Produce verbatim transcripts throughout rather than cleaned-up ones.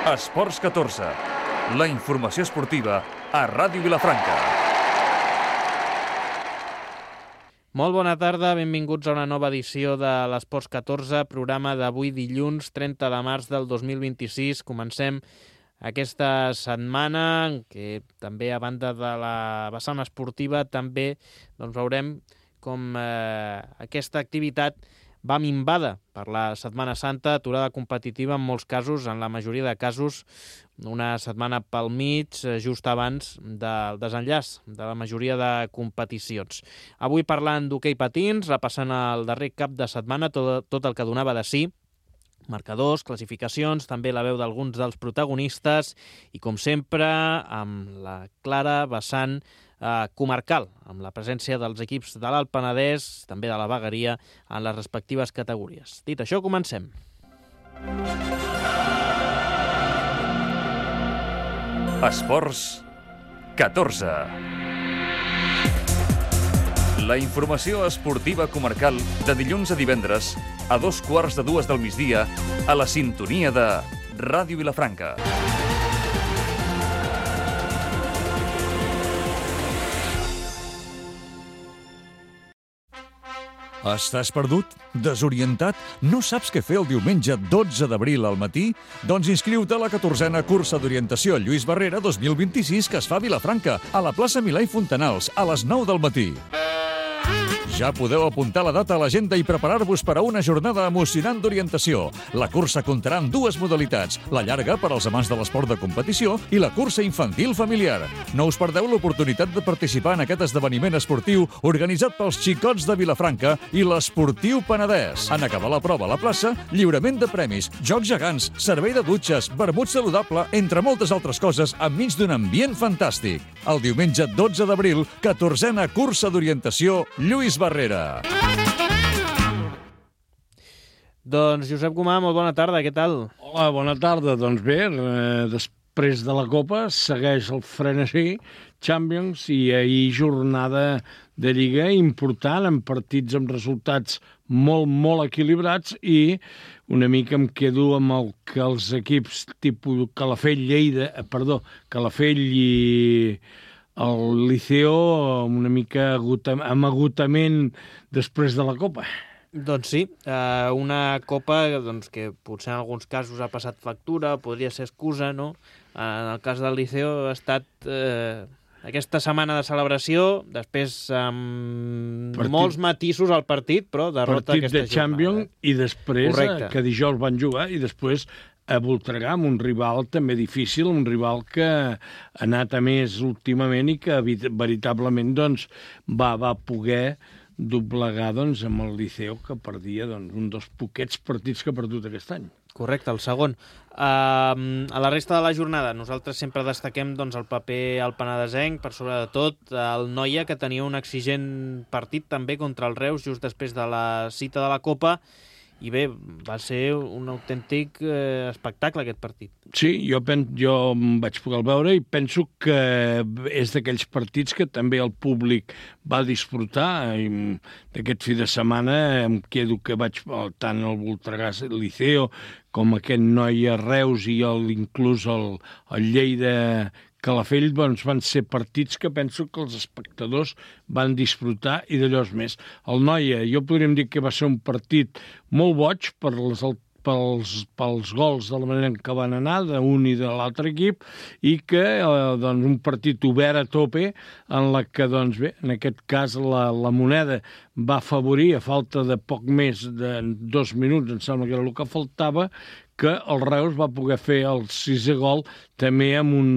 Esports catorze, la informació esportiva a Ràdio Vilafranca. Molt bona tarda, benvinguts a una nova edició de l'Esports catorze, programa d'avui dilluns trenta de març del dos mil vint-i-sis. Comencem aquesta setmana en què també, a banda de la vessant esportiva, també doncs, veurem com eh, aquesta activitat va minvada per la Setmana Santa, aturada competitiva en molts casos, en la majoria de casos, una setmana pel mig, just abans del desenllaç de la majoria de competicions. Avui parlant d'hoquei patins, repassant el darrer cap de setmana, tot, tot el que donava de si, marcadors, classificacions, també la veu d'alguns dels protagonistes i, com sempre, amb la clara vessant eh, comarcal, amb la presència dels equips de l'Alt Penedès, també de la Vegueria, en les respectives categories. Dit això, comencem. Esports catorze. La informació esportiva comarcal de dilluns a divendres a dos quarts de dues del migdia a la sintonia de Ràdio Vilafranca. Estàs perdut? Desorientat? No saps què fer el diumenge dotze d'abril al matí? Doncs inscriu-te a la catorzena cursa d'orientació Lluís Barrera dos mil vint-i-sis que es fa a Vilafranca, a la plaça Milà i Fontanals, a les nou del matí. Ja podeu apuntar la data a l'agenda i preparar-vos per a una jornada emocionant d'orientació. La cursa comptarà amb dues modalitats, la llarga per als amants de l'esport de competició i la cursa infantil familiar. No us perdeu l'oportunitat de participar en aquest esdeveniment esportiu organitzat pels xicots de Vilafranca i l'Esportiu Penedès. En acabar la prova a la plaça, lliurament de premis, jocs gegants, servei de dutxes, vermut saludable, entre moltes altres coses, enmig d'un ambient fantàstic. El diumenge dotze d'abril, catorzena cursa d'orientació Lluís Barrera. Doncs Josep Gomà, molt bona tarda, què tal? Hola, bona tarda. Doncs bé, eh, després de la Copa segueix el frenesí, Champions, i ahir jornada de Lliga important, amb partits amb resultats molt, molt equilibrats, i una mica em quedo amb el que els equips tipus Calafell, Lleida, perdó, Calafell i el Liceo una mica amb agotament després de la Copa. Doncs sí, una Copa doncs, que potser en alguns casos ha passat factura, podria ser excusa, no? En el cas del Liceo ha estat eh, aquesta setmana de celebració, després amb partit, molts matisos al partit, però derrota partit aquesta de Champions, jornada. I després, Correcte. Que dijous van jugar, i després a Voltregà, amb un rival també difícil, un rival que ha anat a més últimament i que veritablement doncs, va, va poder doblegar doncs, amb el Liceo, que perdia doncs, un dels poquets partits que ha perdut aquest any. Correcte, el segon. Uh, a la resta de la jornada, nosaltres sempre destaquem doncs, el paper al penedesenc, per sobre de tot, el Noia, que tenia un exigent partit també contra el Reus just després de la cita de la Copa, i bé, va ser un autèntic eh, espectacle aquest partit. Sí, jo, pen, jo em vaig poder veure i penso que és d'aquells partits que també el públic va disfrutar. D'aquest fi de setmana em quedo que vaig tant el Voltregà, el Liceo, com aquest Noia Reus i el, inclús el, el Lleida Calafell, doncs, van ser partits que penso que els espectadors van disfrutar i d'allò més. El Noia, jo podríem dir que va ser un partit molt boig per les, pels, pels gols de la manera en què van anar d'un i de l'altre equip, i que eh, doncs, un partit obert a tope en la que, doncs bé, en aquest cas la, la moneda va afavorir, a falta de poc més de dos minuts, em sembla que era el que faltava, que el Reus va poder fer el sisè gol també amb un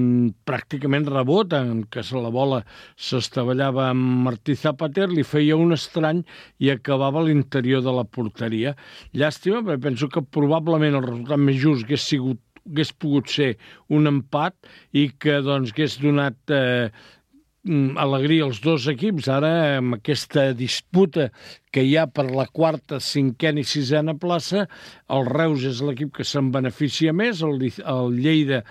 pràcticament rebot, en què la bola s'estavellava amb Martí Zapater, li feia un estrany i acabava a l'interior de la porteria. Llàstima, perquè penso que probablement el resultat més just hagués sigut, hagués pogut ser un empat i que doncs hagués donat eh, alegria als dos equips. Ara, amb aquesta disputa que hi ha per la quarta, cinquena i sisena plaça, el Reus és l'equip que se'n beneficia més, el, el Lleida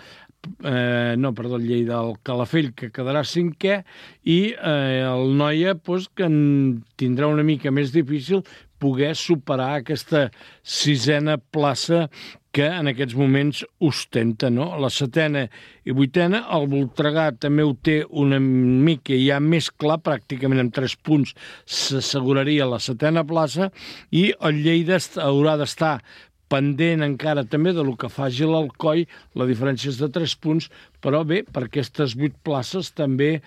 eh, no, perdó, el Lleida, el Calafell, que quedarà cinquè, i eh, el Noia, doncs, que en tindrà una mica més difícil poder superar aquesta sisena plaça que en aquests moments ostenta, no? La setena i vuitena, el Voltregà també ho té una mica ja més clar, pràcticament amb tres punts s'asseguraria la setena plaça, i el Lleida haurà d'estar pendent encara també de lo que faci l'Alcoi, la diferència és de tres punts, però bé, per aquestes vuit places també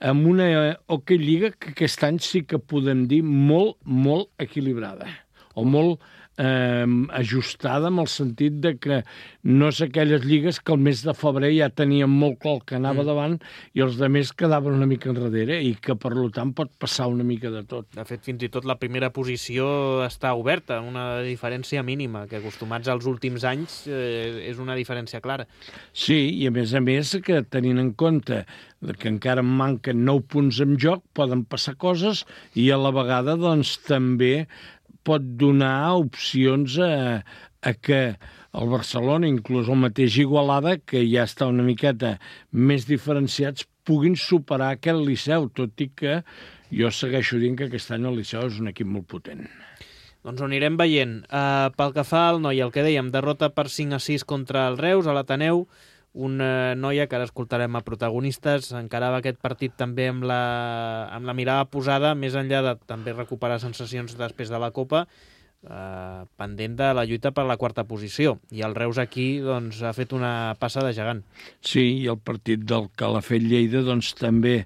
amb una Hockey Lliga que aquest any sí que podem dir molt, molt equilibrada, o molt eh, ajustada en el sentit de que no és aquelles lligues que el mes de febrer ja tenien molt clar el que anava mm. davant i els altres quedaven una mica enrere i que per tant pot passar una mica de tot. De fet, fins i tot la primera posició està oberta, una diferència mínima, que acostumats als últims anys eh, és una diferència clara. Sí, i a més a més que tenint en compte que encara en manquen nou punts en joc, poden passar coses i a la vegada doncs també pot donar opcions a, a que el Barcelona, inclús el mateix Igualada, que ja està una miqueta més diferenciats, puguin superar aquest Liceu, tot i que jo segueixo dient que aquest any el Liceu és un equip molt potent. Doncs ho anirem veient. Uh, pel que fa al Noia, el que dèiem, derrota per cinc a sis contra el Reus, a l'Ateneu, una noia que ara escoltarem a protagonistes, encarava aquest partit també amb la, amb la mirada posada, més enllà de també recuperar sensacions després de la Copa, eh, pendent de la lluita per la quarta posició. I el Reus aquí doncs, ha fet una passa de gegant. Sí, i el partit del Calafell-Lleida doncs, també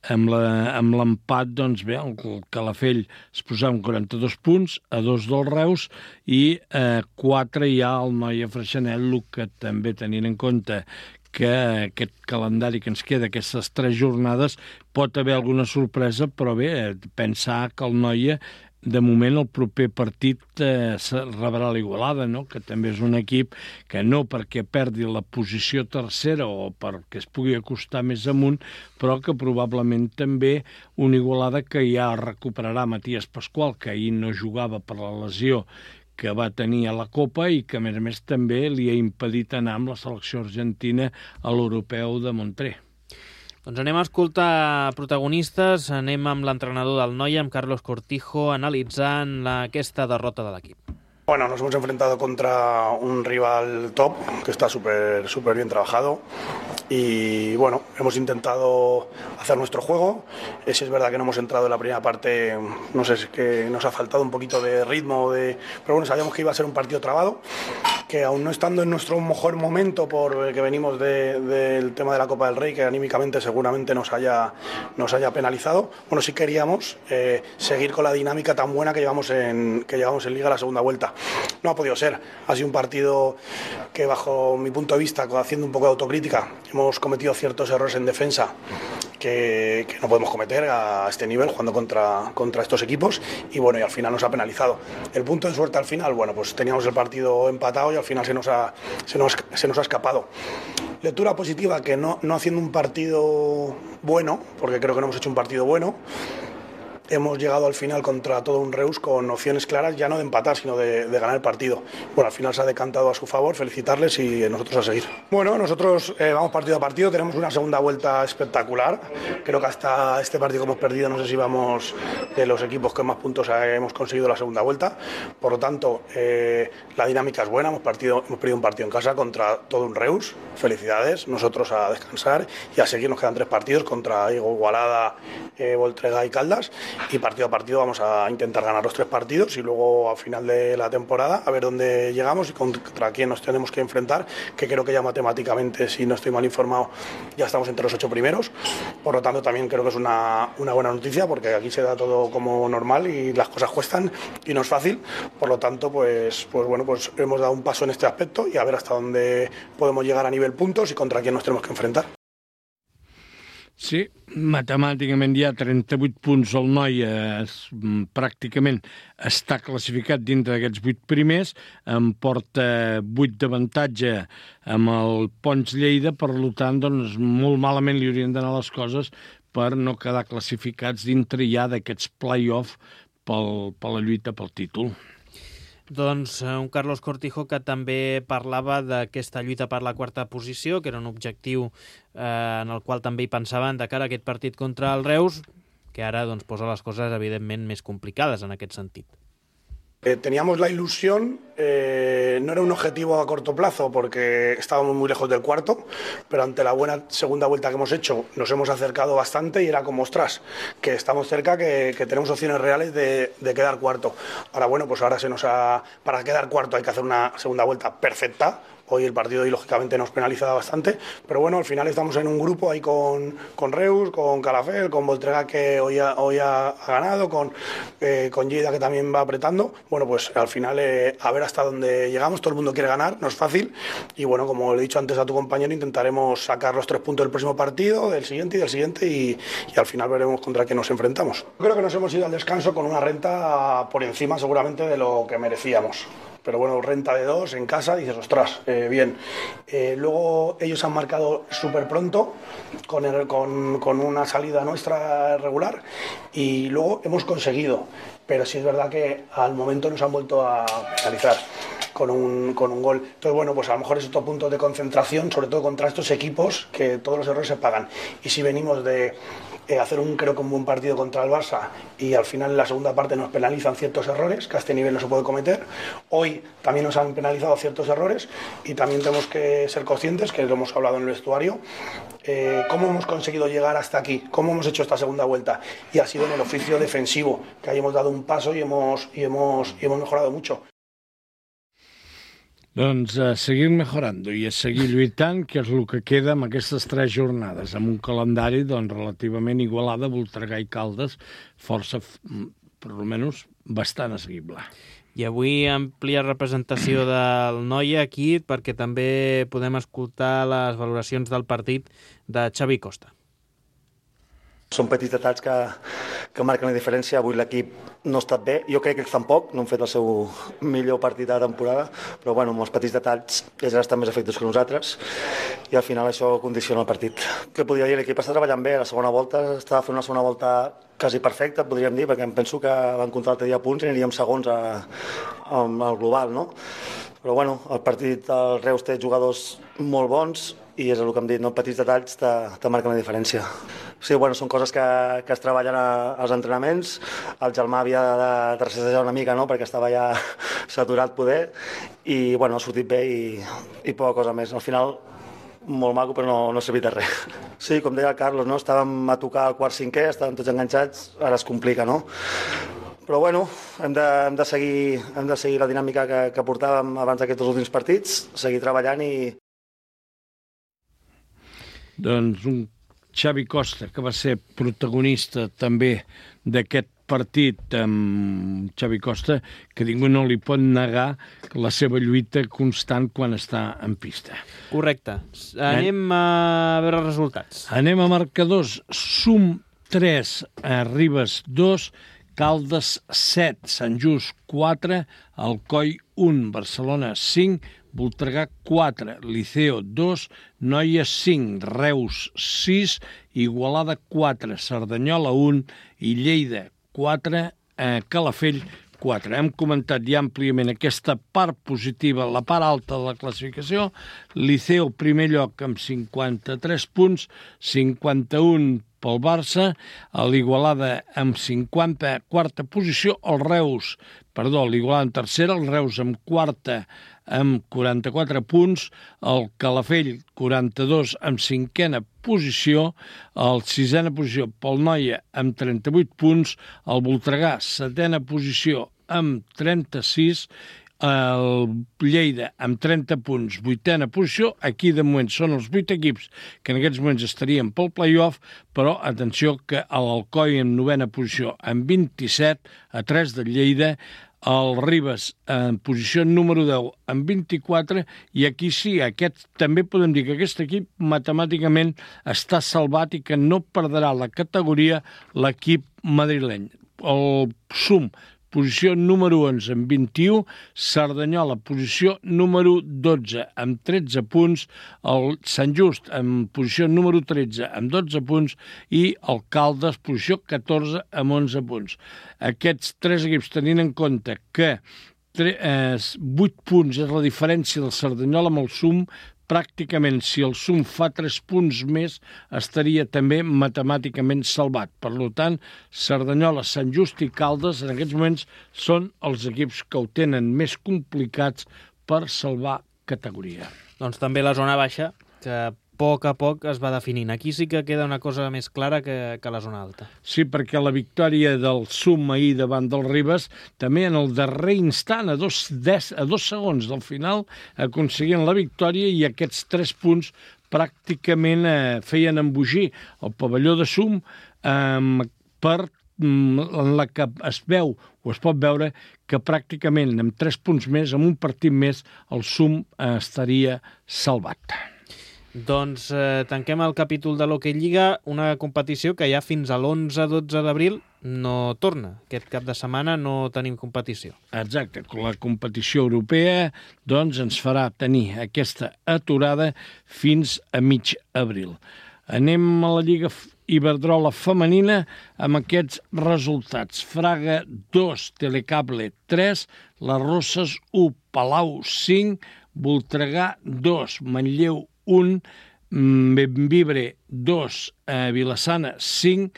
amb l'empat, doncs bé, el Calafell es posava amb quaranta-dos punts, a dos del Reus, i eh, quatre ja al Noia Freixenet, el que també tenint en compte que aquest calendari que ens queda, aquestes tres jornades, pot haver alguna sorpresa, però bé, pensar que el Noia de moment el proper partit eh, rebrà l'Igualada, no? Que també és un equip que no perquè perdi la posició tercera o perquè es pugui acostar més amunt, però que probablement també un Igualada que ja recuperarà Matías Pascual, que ahir no jugava per la lesió que va tenir a la Copa i que a més a més també li ha impedit anar amb la selecció argentina a l'Europeu de Montreal. Doncs anem a escoltar protagonistes, anem amb l'entrenador del Noia, amb Carlos Cortijo, analitzant la, aquesta derrota de l'equip. Bueno, nos hemos enfrentado contra un rival top que está súper súper bien trabajado y bueno, hemos intentado hacer nuestro juego. Eh, si es verdad que no hemos entrado en la primera parte, no sé, es que nos ha faltado un poquito de ritmo, de... pero bueno, sabíamos que iba a ser un partido trabado, que aún no estando en nuestro mejor momento por que venimos de, del tema de la Copa del Rey, que anímicamente seguramente nos haya, nos haya penalizado, bueno, sí queríamos eh, seguir con la dinámica tan buena que llevamos en, que llevamos en Liga la segunda vuelta. No ha podido ser, ha sido un partido que bajo mi punto de vista, haciendo un poco de autocrítica, hemos cometido ciertos errores en defensa que, que no podemos cometer a este nivel jugando contra, contra estos equipos y bueno, y al final nos ha penalizado. El punto de suerte al final, bueno, pues teníamos el partido empatado y al final se nos ha, se nos, se nos ha escapado. Lectura positiva, que no, no haciendo un partido bueno, porque creo que no hemos hecho un partido bueno, hemos llegado al final contra todo un Reus con opciones claras, ya no de empatar, sino de, de ganar el partido. Bueno, al final se ha decantado a su favor, felicitarles y nosotros a seguir. Bueno, nosotros eh, vamos partido a partido, tenemos una segunda vuelta espectacular. Creo que hasta este partido que hemos perdido, no sé si vamos de los equipos que más puntos hemos conseguido la segunda vuelta. Por lo tanto, eh, la dinámica es buena, hemos, partido, hemos perdido un partido en casa contra todo un Reus. Felicidades, nosotros a descansar y a seguir. Nos quedan tres partidos contra Igualada, eh, Voltregà y Caldas. Y partido a partido vamos a intentar ganar los tres partidos y luego a final de la temporada a ver dónde llegamos y contra quién nos tenemos que enfrentar, que creo que ya matemáticamente, si no estoy mal informado, ya estamos entre los ocho primeros. Por lo tanto, también creo que es una, una buena noticia porque aquí se da todo como normal y las cosas cuestan y no es fácil. Por lo tanto, pues, pues bueno, pues hemos dado un paso en este aspecto y a ver hasta dónde podemos llegar a nivel puntos y contra quién nos tenemos que enfrentar. Sí, matemàticament hi ha trenta-vuit punts, el Noia es, pràcticament està classificat dintre d'aquests vuit primers, en porta vuit d'avantatge amb el Pons Lleida, per tant, doncs, molt malament li haurien d'anar les coses per no quedar classificats dintre ja d'aquests play-off pel, per la lluita pel títol. Doncs un Carlos Cortijo que també parlava d'aquesta lluita per la quarta posició, que era un objectiu eh, en el qual també hi pensaven de cara a aquest partit contra el Reus, que ara doncs, posa les coses evidentment més complicades en aquest sentit. Eh, teníamos la ilusión, eh, no era un objetivo a corto plazo porque estábamos muy lejos del cuarto, pero ante la buena segunda vuelta que hemos hecho nos hemos acercado bastante y era como, ostras, que estamos cerca, que, que tenemos opciones reales de, de quedar cuarto. Ahora bueno, pues ahora se nos ha, para quedar cuarto hay que hacer una segunda vuelta perfecta. Hoy el partido y lógicamente nos penaliza bastante, pero bueno, al final estamos en un grupo ahí con, con Reus, con Calafell, con Voltregà que hoy ha, hoy ha, ha ganado, con, eh, con Lleida que también va apretando. Bueno, pues al final eh, a ver hasta dónde llegamos, todo el mundo quiere ganar, no es fácil y bueno, como le he dicho antes a tu compañero, intentaremos sacar los tres puntos del próximo partido, del siguiente y del siguiente y, y al final veremos contra qué nos enfrentamos. Creo que nos hemos ido al descanso con una renta por encima seguramente de lo que merecíamos. Pero bueno, renta de dos en casa, dices, ostras, eh, bien. Eh, luego ellos han marcado súper pronto con, el, con, con una salida nuestra regular y luego hemos conseguido. Pero sí es verdad que al momento nos han vuelto a penalizar con un, con un gol. Entonces, bueno, pues a lo mejor es otro punto de concentración, sobre todo contra estos equipos, que todos los errores se pagan. Y si venimos de eh, hacer un, creo que un buen partido contra el Barça y al final en la segunda parte nos penalizan ciertos errores, que a este nivel no se puede cometer, hoy también nos han penalizado ciertos errores y también tenemos que ser conscientes, que lo hemos hablado en el vestuario, eh, cómo hemos conseguido llegar hasta aquí, cómo hemos hecho esta segunda vuelta, y ha sido en el oficio defensivo, que ahí hemos dado un paso y hemos, y hemos, y hemos mejorado mucho. Doncs a seguir mejorant i a seguir lluitant, que és el que queda amb aquestes tres jornades, amb un calendari doncs, relativament igualada, Voltregà i Caldes, força, per almenys, bastant assequible. I avui àmplia representació del Noia aquí, perquè també podem escoltar les valoracions del partit de Xavi Costa. Són petits detalls que, que marquen la diferència. Avui l'equip no ha estat bé. Jo crec que ells tampoc, no han fet el seu millor partit de la temporada, però bueno, amb els petits detalls ells estan més afectats que nosaltres i al final això condiciona el partit. Què podria dir? L'equip està treballant bé. La segona volta estava fent una segona volta quasi perfecta, podríem dir, perquè em penso que van comptar l'altre dia punts i aniríem segons a, a, al global, no? Però bueno, el partit del Reus té jugadors molt bons i és el que hem dit, no? Petits detalls te, te marquen la diferència. Sí, bueno, són coses que, que es treballen a, als entrenaments. El Germà havia de trassejar una mica, no?, perquè estava ja saturat poder, i bueno, ha sortit bé i, i poca cosa més. Al final, molt maco, però no, no ha servit de res. Sí, com deia el Carlos, no? Estàvem a tocar el quart cinquè, estàvem tots enganxats, ara es complica, no? Però bueno, hem de, hem de, seguir, hem de seguir la dinàmica que, que portàvem abans d'aquests últims partits, seguir treballant i... Doncs un Xavi Costa, que va ser protagonista també d'aquest partit, amb Xavi Costa, que ningú no li pot negar la seva lluita constant quan està en pista. Correcte. Anem a veure els resultats. Anem a marcadors. Sum tres, Ribes dos, Caldes set, Sant Just quatre, Alcoi un, Barcelona cinc, Voltregà quatre, Liceo dos, Noia cinc, Reus sis, Igualada quatre, Cerdanyola un i Lleida quatre, eh, Calafell quatre. Hem comentat ja àmpliament aquesta part positiva, la part alta de la classificació. Liceo, primer lloc, amb cinquanta-tres punts, cinquanta-un pel Barça, l'Igualada amb cinquanta, quarta posició, el Reus, perdó, l'Igualada en tercera, el Reus amb quarta amb quaranta-quatre punts, el Calafell quaranta-dos amb cinquena posició, el sisena posició pel Noia amb trenta-vuit punts, el Voltregà setena posició amb trenta-sis, el Lleida amb trenta punts, vuitena posició. Aquí de moment són els vuit equips que en aquests moments estarien pel play-off, però atenció que l'Alcoi en novena posició amb vint-i-set, a tres del Lleida, el Ribes en posició número deu amb vint-i-quatre, i aquí sí, aquest també podem dir que aquest equip matemàticament està salvat i que no perdrà la categoria l'equip madrileny. El Sum, posició número onze amb vint-i-u, Cerdanyola, posició número dotze amb tretze punts, el Sant Just en posició número tretze amb dotze punts i el Caldes, posició catorze amb onze punts. Aquests tres equips, tenint en compte que vuit punts és la diferència del Cerdanyola amb el Sum, pràcticament, si el Sum fa tres punts més, estaria també matemàticament salvat. Per tant, Cerdanyola, Sant Just i Caldes, en aquests moments, són els equips que ho tenen més complicats per salvar categoria. Doncs també la zona baixa, que a poc a poc es va definint. Aquí sí que queda una cosa més clara que, que la zona alta. Sí, perquè la victòria del Sum ahir davant del Ribes, també en el darrer instant, a dos, des, a dos segons del final, aconseguien la victòria i aquests tres punts pràcticament eh, feien embogir el pavelló de Sum eh, per en la que es veu o es pot veure que pràcticament amb tres punts més, amb un partit més, el Sum eh, estaria salvat. Doncs eh, tanquem el capítol de l'Hockey Lliga, una competició que ja fins a l'onze dotze d'abril no torna. Aquest cap de setmana no tenim competició. Exacte, la competició europea doncs ens farà tenir aquesta aturada fins a mig abril. Anem a la Lliga Iberdrola femenina amb aquests resultats. Fraga dos, Telecable tres, Les Rosses u, Palau cinc, Voltregà dos, Manlleu un, Benvibre dos, eh, Vilassana cinc,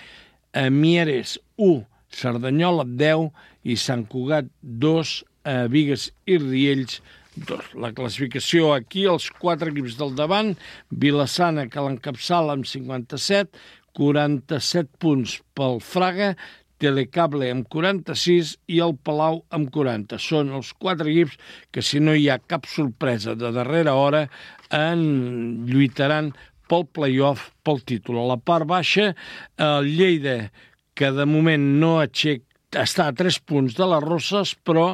eh, Mieres u, Cerdanyola deu i Sant Cugat dos, eh, Bigues i Riells dos. La classificació aquí, els quatre equips del davant, Vilassana que l'encapçala amb cinquanta-set, quaranta-set punts pel Fraga, Telecable amb quaranta-sis i el Palau amb quaranta. Són els quatre equips que, si no hi ha cap sorpresa de darrera hora, en lluitaran pel play-off, pel títol. A la part baixa, el Lleida, que de moment no aixeca, està a tres punts de les Rosses, però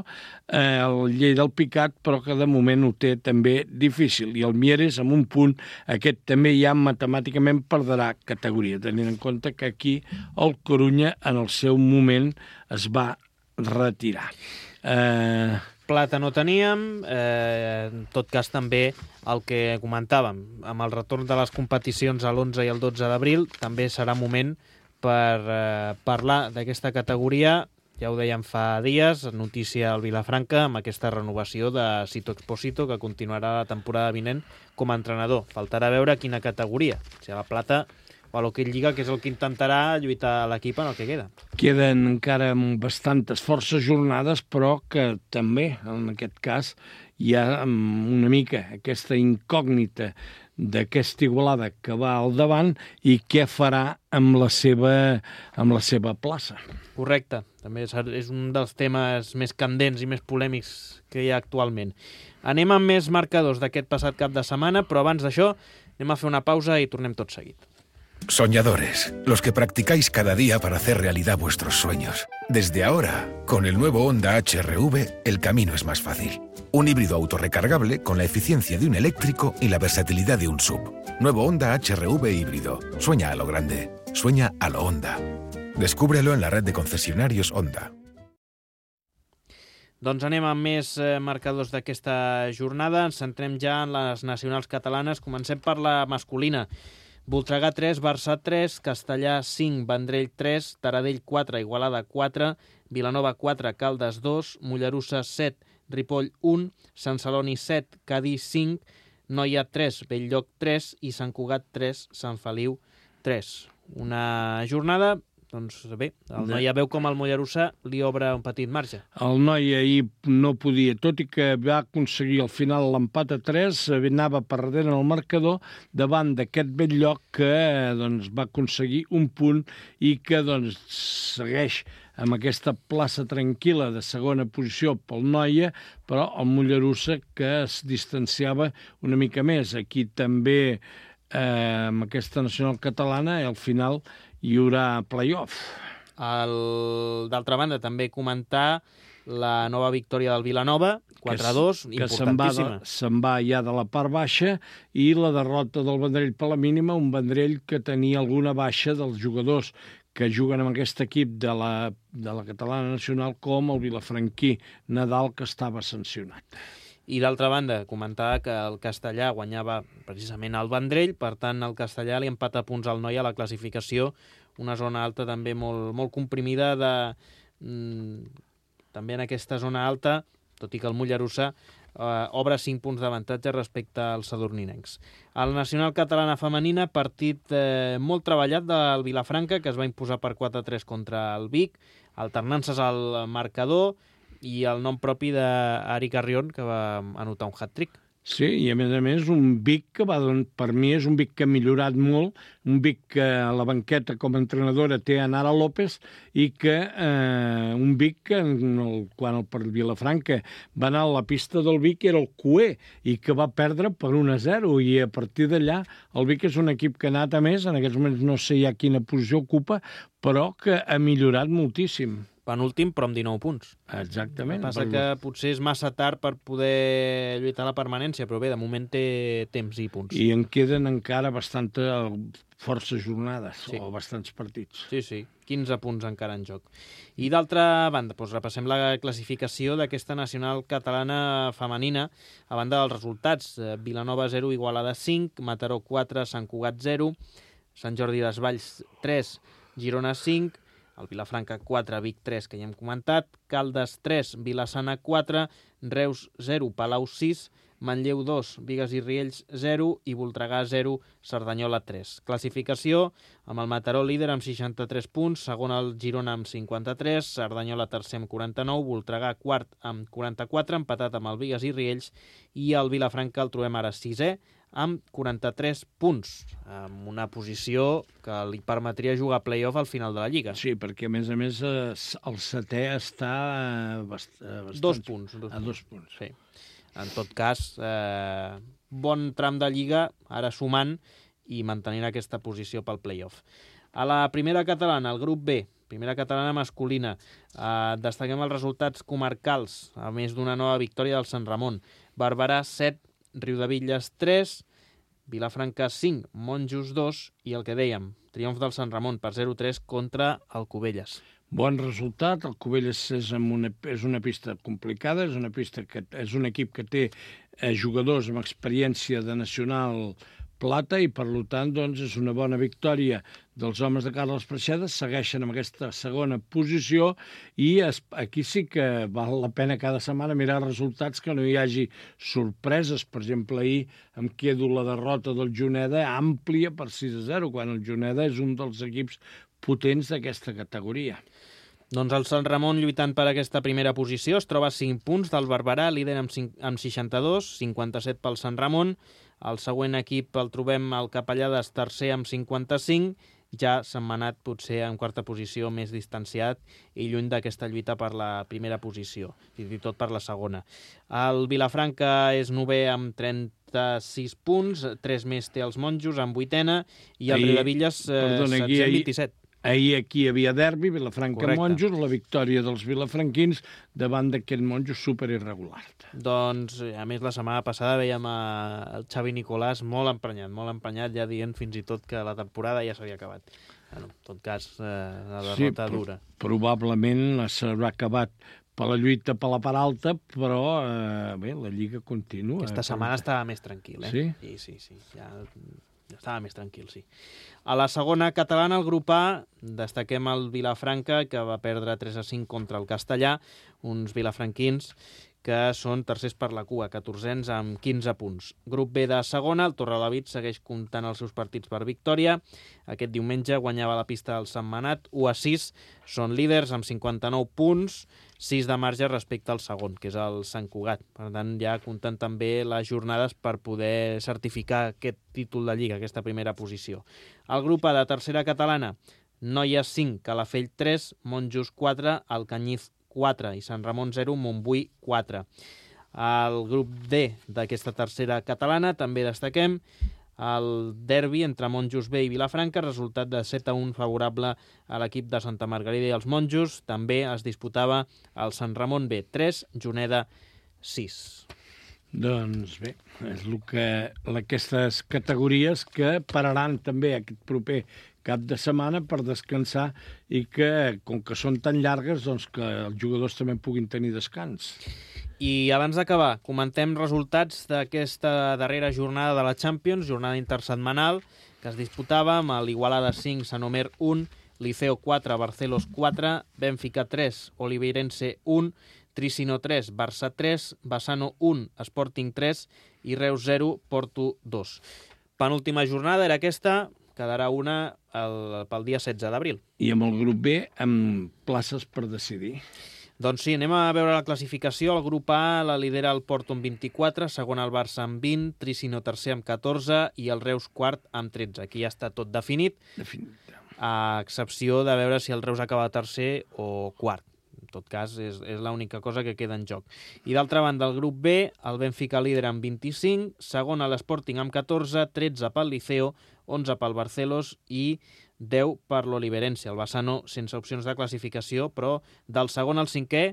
eh, el Lleida del Picat, però que de moment ho té també difícil. I el Mieres, amb un punt, aquest també ja matemàticament perdrà categoria, tenint en compte que aquí el Corunya en el seu moment es va retirar. Eh... Plata no teníem, eh, en tot cas també el que comentàvem, amb el retorn de les competicions a l'onze i el dotze d'abril, també serà moment per eh, parlar d'aquesta categoria. Ja ho dèiem fa dies, notícia al Vilafranca amb aquesta renovació de Sito Expósito, que continuarà la temporada vinent com a entrenador. Faltarà veure quina categoria, si a la Plata o a l'Hockey Lliga, que és el que intentarà lluitar l'equip en el que queda. Queden encara bastantes forces jornades, però que també, en aquest cas, hi ha una mica aquesta incògnita d'aquesta Igualada que va al davant i què farà amb la seva, amb la seva plaça. Correcte, també és un dels temes més candents i més polèmics que hi ha actualment. Anem amb més marcadors d'aquest passat cap de setmana, però abans d'això anem a fer una pausa i tornem tot seguit. Soñadores, los que practicáis cada día para hacer realidad vuestros sueños. Desde ahora, con el nuevo Honda H R V, el camino es más fácil. Un híbrido autorrecargable con la eficiencia de un eléctrico y la versatilidad de un S U V. Nuevo Honda H R V híbrido. Sueña a lo grande. Sueña a lo Honda. Descúbrelo en la red de concesionarios Honda. Doncs anem amb més eh, marcadors d'aquesta jornada. Ens centrem ja en les nacionals catalanes. Comencem per la masculina. Voltregà tres, Barça tres, Castellà cinc, Vendrell tres, Taradell quatre, Igualada quatre, Vilanova quatre, Caldes dos, Mollerussa set, Ripoll un, Sant Celoni set, Cadí cinc, Noia tres, Belllloc tres i Sant Cugat tres, Sant Feliu tres. Una jornada, doncs bé, el Noia veu com el Mollerussa li obre un petit marge. El Noia ahir no podia, tot i que va aconseguir al final l'empat a tres, anava perdent el marcador davant d'aquest Belllloc que doncs, va aconseguir un punt i que doncs, segueix amb aquesta plaça tranquil·la de segona posició pel Noia, però el Mollerussa que es distanciava una mica més. Aquí també eh, amb aquesta nacional catalana al final hi haurà play-off. D'altra banda, també comentar la nova victòria del Vilanova, quatre a dos, importantíssima. Que se'n va ja de la part baixa, i la derrota del Vendrell per la mínima, un Vendrell que tenia alguna baixa dels jugadors que juguen amb aquest equip de la, de la catalana nacional, com el vilafranquí Nadal, que estava sancionat. I d'altra banda, comentar que el Castellà guanyava precisament el Vendrell, per tant el Castellà li empata punts al Noia a la classificació, una zona alta també molt, molt comprimida, de, mm, també en aquesta zona alta, tot i que el Mollerussa eh, obre cinc punts d'avantatge respecte als sadurninencs. El Nacional Catalana Femenina, partit eh, molt treballat del Vilafranca, que es va imposar per quatre a tres contra el Vic, alternances al marcador i el nom propi d'Ari Carrion, que va anotar un hat-trick. Sí, i a més a més un Vic que va, per mi és un Vic que ha millorat molt, un Vic que a la banqueta com a entrenadora té a Nara López i que eh, un Vic que el, quan el per Vilafranca va anar a la pista del Vic era el cuer i que va perdre per un a zero i a partir d'allà el Vic és un equip que ha anat a més, en aquests moments no sé ja quina posició ocupa, però que ha millorat moltíssim. Penúltim, però amb dinou punts. Exactament. El que passa que potser és massa tard per poder lluitar la permanència, però bé, de moment té temps i punts. I en queden encara bastanta força jornades, sí. O bastants partits. Sí, sí, quinze punts encara en joc. I d'altra banda, doncs repassem la classificació d'aquesta nacional catalana femenina, a banda dels resultats. Vilanova zero, Igualada cinc, Mataró quatre, Sant Cugat zero, Sant Jordi Desvalls tres, Girona cinc, el Vilafranca quatre, Vic tres, que ja hem comentat, Caldes tres, Vilassana quatre, Reus zero, Palau sis, Manlleu dos, Bigues i Riells zero i Voltregà zero, Cerdanyola tres. Classificació, amb el Mataró líder amb seixanta-tres punts, segon el Girona amb cinquanta-tres, Cerdanyola tercer amb quaranta-nou, Voltregà quart amb quaranta-quatre, empatat amb el Bigues i Riells, i el Vilafranca el trobem ara sisè, amb quaranta-tres punts, amb una posició que li permetria jugar play-off al final de la Lliga. Sí, perquè a més a més el setè està bast bastant... Dos punts. Dos a punts. dos punts. Sí. En tot cas, eh, bon tram de Lliga, ara sumant i mantenint aquesta posició pel play-off. A la primera catalana, el grup B, primera catalana masculina, eh, destaquem els resultats comarcals, a més d'una nova victòria del Sant Ramon. Barberà set, Riudebitlles tres, Vilafranca cinc, Monjos dos i el que dèiem, triomf del Sant Ramon per zero a tres contra el Cubelles. Bon resultat, el Cubelles és, amb una, és una pista complicada, és una pista que és un equip que té eh, jugadors amb experiència de nacional plata i, per tant, doncs, és una bona victòria dels homes de Carles Preixeda, segueixen amb aquesta segona posició i es, aquí sí que val la pena cada setmana mirar resultats, que no hi hagi sorpreses. Per exemple, ahir em quedo la derrota del Juneda àmplia per sis a zero, quan el Juneda és un dels equips potents d'aquesta categoria. Doncs el Sant Ramon, lluitant per aquesta primera posició, es troba a cinc punts del Barberà, líder amb, cinc, amb seixanta-dos, cinquanta-set pel Sant Ramon. El següent equip el trobem al Capellades, tercer amb cinquanta-cinc, ja setmanat potser en quarta posició, més distanciat i lluny d'aquesta lluita per la primera posició, fins i tot per la segona. El Vilafranca és novè amb trenta-sis punts, tres més té els Monjos amb vuitena, i el Riudebitlles eh, setzè amb vint-i-set. Ahir aquí hi havia derbi, Vilafranca-Monjos, la victòria dels vilafranquins davant d'aquest Monjos superirregular. Doncs, a més, la setmana passada veiem el Xavi Nicolàs molt emprenyat, molt emprenyat, ja dient fins i tot que la temporada ja s'havia acabat. Bueno, en tot cas, eh, la derrota sí, dura. Probablement s'haurà acabat per la lluita per la part alta, però eh, bé, la Lliga continua. Aquesta setmana estava més tranquil, eh? Sí? Sí, sí, sí. Ja... Estava més tranquil, sí. A la segona catalana, el grup A, destaquem el Vilafranca, que va perdre tres a cinc contra el Castellà, uns vilafranquins que són tercers per la cua, catorzens amb quinze punts. Grup B de segona, el Torrelavit segueix comptant els seus partits per victòria. Aquest diumenge guanyava la pista del Sentmenat, u a sis, són líders amb cinquanta-nou punts, sis de marge respecte al segon, que és el Sant Cugat. Per tant, ja compten també les jornades per poder certificar aquest títol de Lliga, aquesta primera posició. El grup A de tercera catalana, Noies cinc, Calafell tres, Monjos quatre, Alcanyiz quatre i Sant Ramon zero, Montbui quatre. El grup D d'aquesta tercera catalana també destaquem el derbi entre Monjos B i Vilafranca, resultat de set a un favorable a l'equip de Santa Margarida i els Monjos. També es disputava el Sant Ramon B tres, Juneda sis. Doncs bé, és el que aquestes categories que pararan també aquest proper cap de setmana per descansar i que, com que són tan llargues, doncs que els jugadors també puguin tenir descans. I abans d'acabar, comentem resultats d'aquesta darrera jornada de la Champions, jornada intersetmanal, que es disputava amb l'Igualada cinc, Sant Omer un, Liceo quatre, Barcelos quatre, Benfica tres, Oliveirense un, Tricino tres, Barça tres, Bassano un, Sporting tres i Reus zero, Porto dos. Penúltima jornada era aquesta, quedarà una el, pel dia setze d'abril. I amb el grup B, amb places per decidir. Doncs sí, anem a veure la classificació. El grup A la lidera el Porto amb vint-i-quatre, segon el Barça amb vint, Tricino tercer amb catorze i el Reus quart amb tretze. Aquí ja està tot definit, Definit. a excepció de veure si el Reus acaba tercer o quart. En tot cas, és, és l'única cosa que queda en joc. I d'altra banda, el grup B, el Benfica líder amb vint-i-cinc, segon l'Sporting amb catorze, tretze pel Liceo, onze pel Barcelos i deu per l'Oliverense. El Bassano sense opcions de classificació, però del segon al cinquè,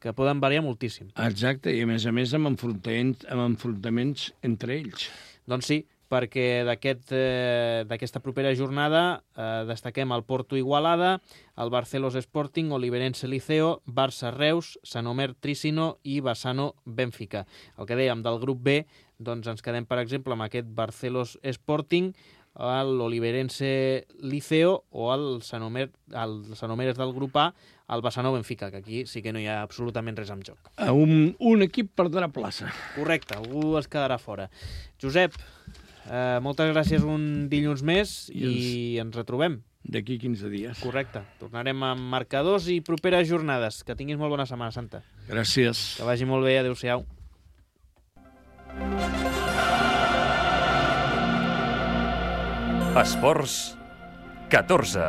que poden variar moltíssim. Exacte, i a més a més amb enfrontaments, amb enfrontaments entre ells. Doncs sí, perquè d'aquest, eh, d'aquesta propera jornada eh, destaquem el Porto Igualada, el Barcelos Sporting, Oliverense Liceo, Barça Reus, Sanomer Tricino i Bassano Benfica. El que dèiem del grup B, doncs ens quedem, per exemple, amb aquest Barcelos Sporting, l'Oliverense Liceo o el Sanomer, el Sanomer és del grup A, el Bassano Benfica, que aquí sí que no hi ha absolutament res en joc. Un, un equip perdrà plaça. Correcte, algú es quedarà fora. Josep, eh, moltes gràcies un dilluns més i, i ens retrobem. D'aquí quinze dies. Correcte, tornarem amb marcadors i properes jornades. Que tinguis molt bona Setmana Santa. Gràcies. Que vagi molt bé, adéu-siau. Esports catorze.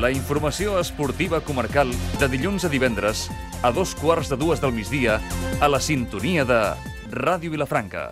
La informació esportiva comarcal de dilluns a divendres a dos quarts de dues del migdia a la sintonia de Ràdio Vilafranca.